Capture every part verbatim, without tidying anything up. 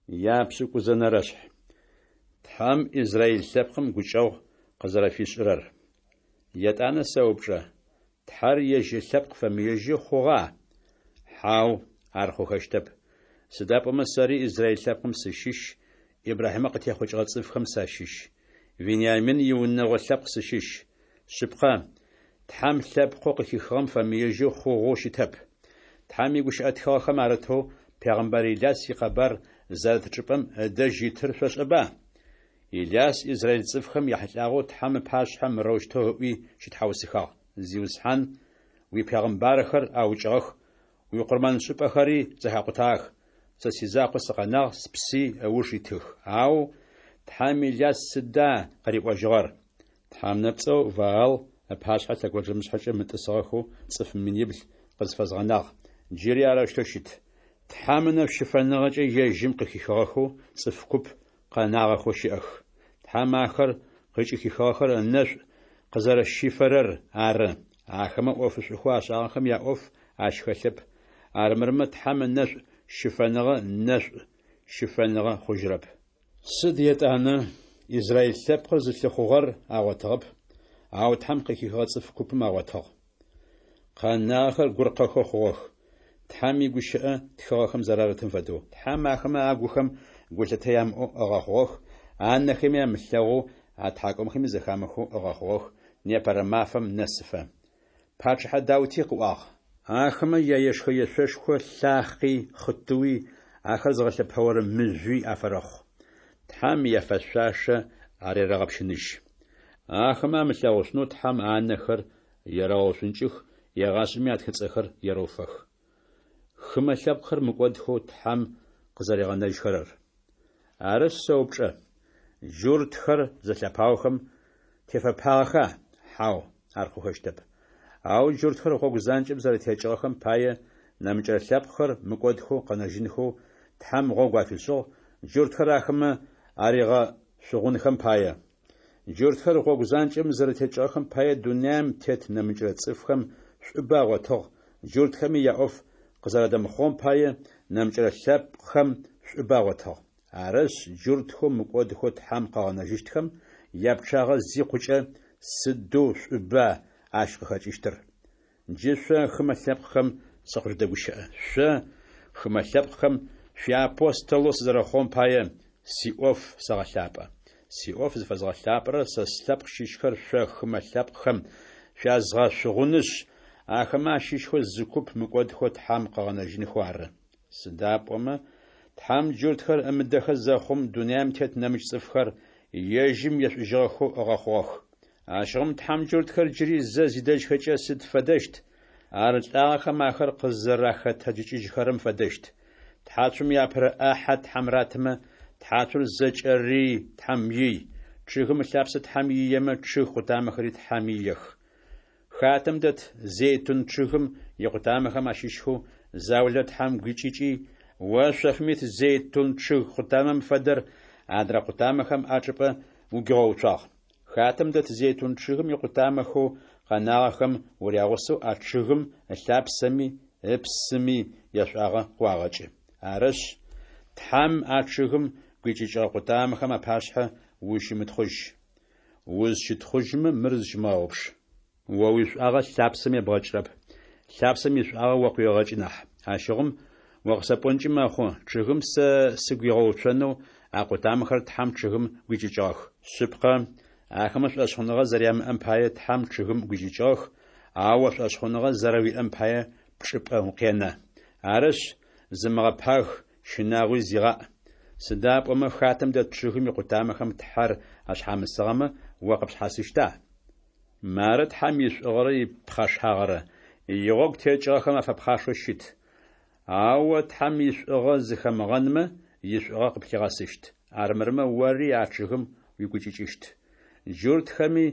Япшӏыкӏузэнэрэшъхь. Тхьэм Израиль лъэпкъым гукӏэгъу къызэрэфишӏырэр. Етӏанэ сэупчӏэ: Тхьэр ежь ылъэпкъ фэмыежьэу хъугъа? Хьау, ар хъухэщтэп! Сыда пӏомэ сэри Израиль лъэпкъым сыщыщ, Ибрахьимэ къытехъукӏыгъэ цӏыфхэм сащыщ, Вениамин иунэгъо лъэпкъ сыщыщ. Шъыпкъэ, Тхьэм лъэпкъэу къыхихыгъэм фэмыежьэу хъугъэу щытэп. Тхьэм игущыӏэ тхыгъэхэм арытэу пегъымбар Иляс икъэбар зэрыт чӏыпӏэм ыдэжь итыр шъошӏэба? Иляс израиль цӏыфхэм яхьылӏагъэу Тхьэм ыпашъхьэ мырэущтэу ыӏуи щытхьаусыхагъ: «Зиусхьан, уипегъымбархэр аукӏыгъэх, уикъурмэншӏыпӏэхэри зэхакъутагъэх, сэ сизакъоу сыкъэнагъ, спси ыуж итых». Ау Тхьэм Иляс сыда къыриӏожьыгъэр? Тхьэ нэпцӏэу Ваал ыпашъхьэ лъэгонджэмышъхьэкӏэ мытӏысыгъэхэу цӏыф минибл къызфэзгъэнагъ. Джыри арэущтэу щыт. Тхьэм ынэшӏу щыфэныгъэкӏэ ежьым къыхихыгъэхэу цӏыф куп къэнагъэхэу щыӏэх. Тхьэм ахэр къыкӏыхихыгъэхэр ынэшӏу къызэрэщифэрэр ары. Ахэмэ ӏофышӏухэу ашӏагъэхэм яӏоф ащ хэлъэп, армырмэ Тхьэм ынэшӏу щыфэныгъэ нэшӏу щыфэныгъэ хъужьырэп. Сыд етӏанэ? Израиль лъэпкъыр зылъыхъугъэр агъотыгъэп, ау Тхьэм къыхихыгъэ цӏыф купым агъотыгъ. Къэнагъэхэр гуркъэхэу хъугъэх, Тхьэм игущыӏэ тхыгъэхэм зэрарытым фэдэу. Тхьэм ахэмэ агухэм гулъытэ ямыӏэу ыгъэхъугъэх, анэхэми амылъэгъоу, атхьакӏумэхэми зэхамыхэу ыгъэхъугъэх непэрэ мафэм нэсыфэ. Пачъыхьэ Даути къыӏуагъ: Ахэмэ яешхэ-ешъошхо лъахъи, хъытыуи, ахэр зыгъэлъэпэорэ мыжъуи афэрэхъу. Тхьэм яфэшъуашэ арерэгъэпщыныжь. Ахэмэ амылъэгъушъунэу Тхьэм анэхэр ерэгъэушӏункӏых, егъашӏэми атхыцӏэхэр ерэуфэх. Хымэ лъэпкъхэр мыкӏодхэу Тхьэм къызэригъэнэжьхэрэр. Арышъ сэупчӏэ: джуртхэр зэлъэпаохэм тефэпагъэха? Хьау, ар хъухэщтэп! Ау джуртхэр гъогу занкӏэм зэрэтекӏыгъэхэм пае нэмыкӏырэ лъэпкъхэр мыкӏодхэу къэнэжьынхэу Тхьэм гъогу афишӏыгъ, джуртхэр ахэмэ аригъэшъугъунхэм пае. Джуртхэр гъогу занкӏэм зэрэтекӏыгъэхэм пае дунаим тет нэмыкӏырэ цӏыфхэм шӏубэ агъотыгъ, джуртхэми яӏоф къызэрадэмыхъугъэм пае нэмыкӏырэ лъэпкъхэм шӏубэ агъотыгъ. Арышъ, джуртхэу мыкӏодхэу Тхьэм къыгъэнэжьыщтхэм япчъагъэ зикъукӏэ, сыдэу шӏуба ащ къыхэкӏыщтыр! Джы шъо, хымэ лъэпкъхэм, сыкъыжъудэгущыӏэ. Шъо, хымэ лъэпкъхэм, шъуиапостолэу сызэрэхъугъэм пае, сиӏоф сэгъэлъапӏэ. Сиӏоф зыфэзгъэлъапӏэрэр сэ слъэпкъ щыщхэр шъо хымэ лъэпкъхэм шъуязгъэшъугъунышъ, ахэмэ ащыщхэу зы куп мыкӏодхэу Тхьэм къыгъэнэжьынхэу ары. Сыда пӏомэ Тхьэм джуртхэр ымыдэхэ зэхъум, дунаим тет нэмыкӏ цӏыфхэр ежьым ешӏужьыгъэхэу ыгъэхъугъэх. Ащыгъум Тхьэм джуртхэр джыри зэ зидэжьхэкӏэ сыд фэдэщт? Ар лӏагъэхэм ахэр къызэрахэтэджыкӏыжьхэрэм фэдэщт. Тхьацум иапэрэ ӏахьэ Тхьэм ратымэ, тхьацур зэкӏэри Тхьэм ий. Чъыгым ылъапсэ Тхьэм иемэ, чъыг къутамэхэри Тхьэм иех. Хатэм дэт зейтун чъыгым икъутамэхэм ащыщхэу заулэ Тхьэм гуикӏыкӏи, о шъофым ит зейтун чъыг къутамэм фэдэр адрэ къутамэхэм ачӏыпӏэ угуигъэуцуагъ. Хатэм дэт зейтун чъыгым икъутамэхэу къэнагъэхэм урягъусэу а чъыгым ылъапсэми ыпсыми яшӏуагъэ къыуагъэкӏы. Арышъ, Тхьэм а чъыгым гуикӏыкӏыгъэ къутамэхэм апашъхьэ узщымытхъужь. Узщытхъужьмэ, мыр зыщымыгъэгъупш: о уишӏуагъэ лъапсэм ебгъэкӏырэп, лъапсэм ишӏуагъэ о къыуегъэкӏы нахь. Ащыгъум о къысэпӏонкӏи мэхъу: «Чъыгым сэ сыгуигъэуцонэу а къутамэхэр Тхьэм чъыгым гуикӏыкӏыгъэх». Шъыпкъэ, ахэмэ шӏошъхъуныгъэ зэрямыӏэм пае Тхьэм чъыгым гуикӏыкӏыгъэх, ау о шӏошъхъуныгъэ зэрэуиӏэм пае пчӏыпӏэ укъенэ. Арышъ, зымыгъэпаг, щынагъуи зигъаӏ. Сыда пӏомэ хатэм дэт чъыгым икъутамэхэм Тхьэр ашъхьамысыгъэмэ, о къыпшъхьасыщта? Мары Тхьэм ишӏугъэрэ ипхъэшагъэрэ: игъогу текӏыгъэхэм афэпхъашэу щыт, ау о Тхьэм ишӏугъэ зыхэмыгъэнмэ, ишӏугъэ къыплъигъэсыщт. Армырмэ ори а чъыгым угуикӏыкӏыщт. Джуртхэми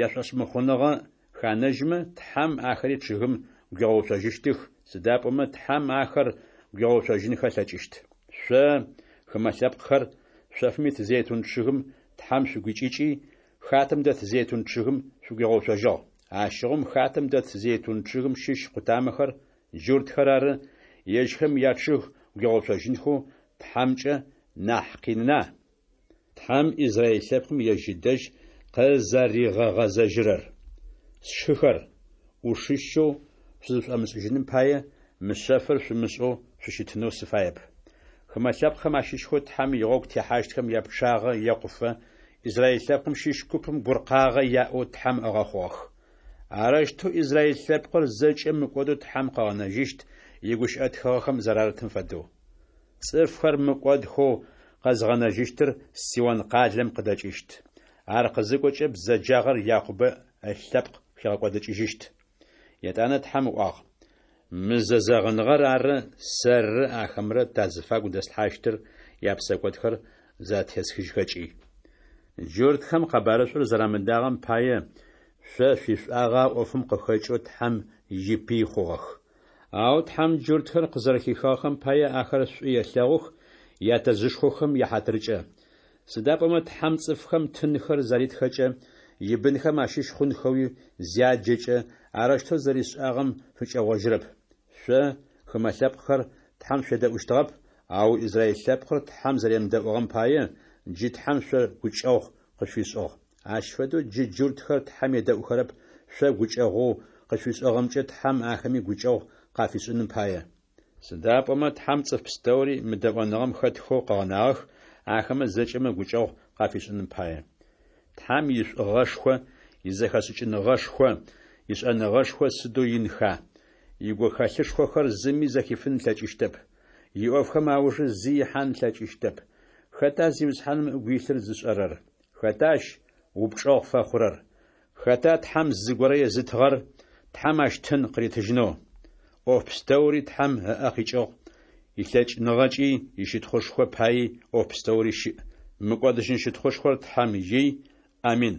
яшӏошъмыхъуныгъэ ханэжьмэ, Тхьэм ахэри чъыгым гуигъэуцожьыщтых, сыда пӏомэ Тхьэм ахэр гуигъэуцожьынхэ ылъэкӏыщт. Шъо, хымэ лъэпкъхэр, шъофым ит зейтун чъыгым Тхьэм шъугуикӏыкӏи, хатэм дэт зейтун чъыгым шъугуигъэуцожьыгъ. Ащыгъум хатэм дэт зейтун чъыгым щыщ къутамэхэр, джуртхэр ары, ежьхэм ячъыг гуигъэуцожьынхэу Тхьэмкӏэ Нахь къинына? Тхьэм Израил лъэпкъым ежь ыдэжь къызэригъэгъэзэжьырэр. Сшыхэр, ӏушыщэу шъузышӏомышӏыжьыным пае, мы шъэфыр шъумышӏэу шъущытынэу сыфаеп. Хымэ лъэпкъхэм ащыщхэу Тхьэм игъогу техьащтхэм япчъагъэ екъуфэ, Израил лъэпкъым щыщ купым гуркъагъэ яӏэу Тхьэм ыгъэхъугъэх. Арэущтэу Израил лъэпкъыр зэкӏэ мыкӏодэу Тхьэм къыгъэнэжьыщт, игущыӏэ тхыгъэхэм зэрарытым фэдэу. Цӏыфхэр мыкӏодхэу къэзгъэнэжьыщтыр Сион къалэм къыдэкӏыщт. Ар къызыкӏокӏэ бзэджагъэр Якъубэ ылъэпкъ хигъэкӏодыкӏыжьыщт. Етӏанэ Тхьэм ыӏуагъ: Мы зэзэгъыныгъэр ары сэррэ ахэмрэ тазыфагу дэслъхьащтыр япсэкӏодхэр затесхыжьхэкӏи. Джуртхэм къэбарышӏур зэрамыдагъэм пае, шъо шъуишӏуагъэ а ӏофым къыхэкӏэу Тхьэм ипый хъугъэх. Ау Тхьэм джуртхэр къызэрэхихыгъэхэм пае ахэр шӏу елъэгъух ятэжъышхохэм яхьатыркӏэ. Сыда пӏомэ Тхьэм цӏыфхэм тынхэр заритхэкӏэ, ибынхэм ащыщ хъунхэуи зяджэкӏэ, арэущтэу зэришӏагъэм фыкӏэгъожьырэп. Шъо, хымэ лъэпкъхэр, Тхьэм шъуедэӏущтыгъэп, ау Израил лъэпкъыр Тхьэм зэремыдэӏугъэм пае, джы Тхьэм шъо гукӏэгъу къышъуфишӏыгъ. Ащ фэдэу джы джуртхэр Тхьэм едэӏухэрэп, шъо гукӏэгъоу къышъуфишӏыгъэмкӏэ Тхьэм ахэми гукӏэгъу къафишӏыным пае. Сыда пӏомэ Тхьэм цӏыф пстэури мыдэӏоныгъэм хэтхэу къыгъэнагъэх, ахэмэ зэкӏэмэ гукӏэгъу къафишӏыным пае. Тхьэм ишӏугъэшхо, изэхэшӏыкӏыныгъэшхо, ишӏэныгъэшхо сыдэу инха! Игухэлъышхохэр зыми зэхифын ылъэкӏыщтэп. Иӏофхэм аужы зи ихьан ылъэкӏыщтэп. Хэта Зиусхьаным ыгу илъыр зышӏэрэр? Хэта ащ упчӏэгъу фэхъурэр? Хэта Тхьэм зыгорэ езытыгъэр, Тхьэм ащ тын къыритыжьынэу? ӏоф пстэури Тхьэм ыӏэ къикӏыгъ, илъэкӏыныгъэкӏи ищытхъушхо паий ӏоф пстэури щыӏ. Мыкӏодыжьын щытхъушхор Тхьэм ий. Амин.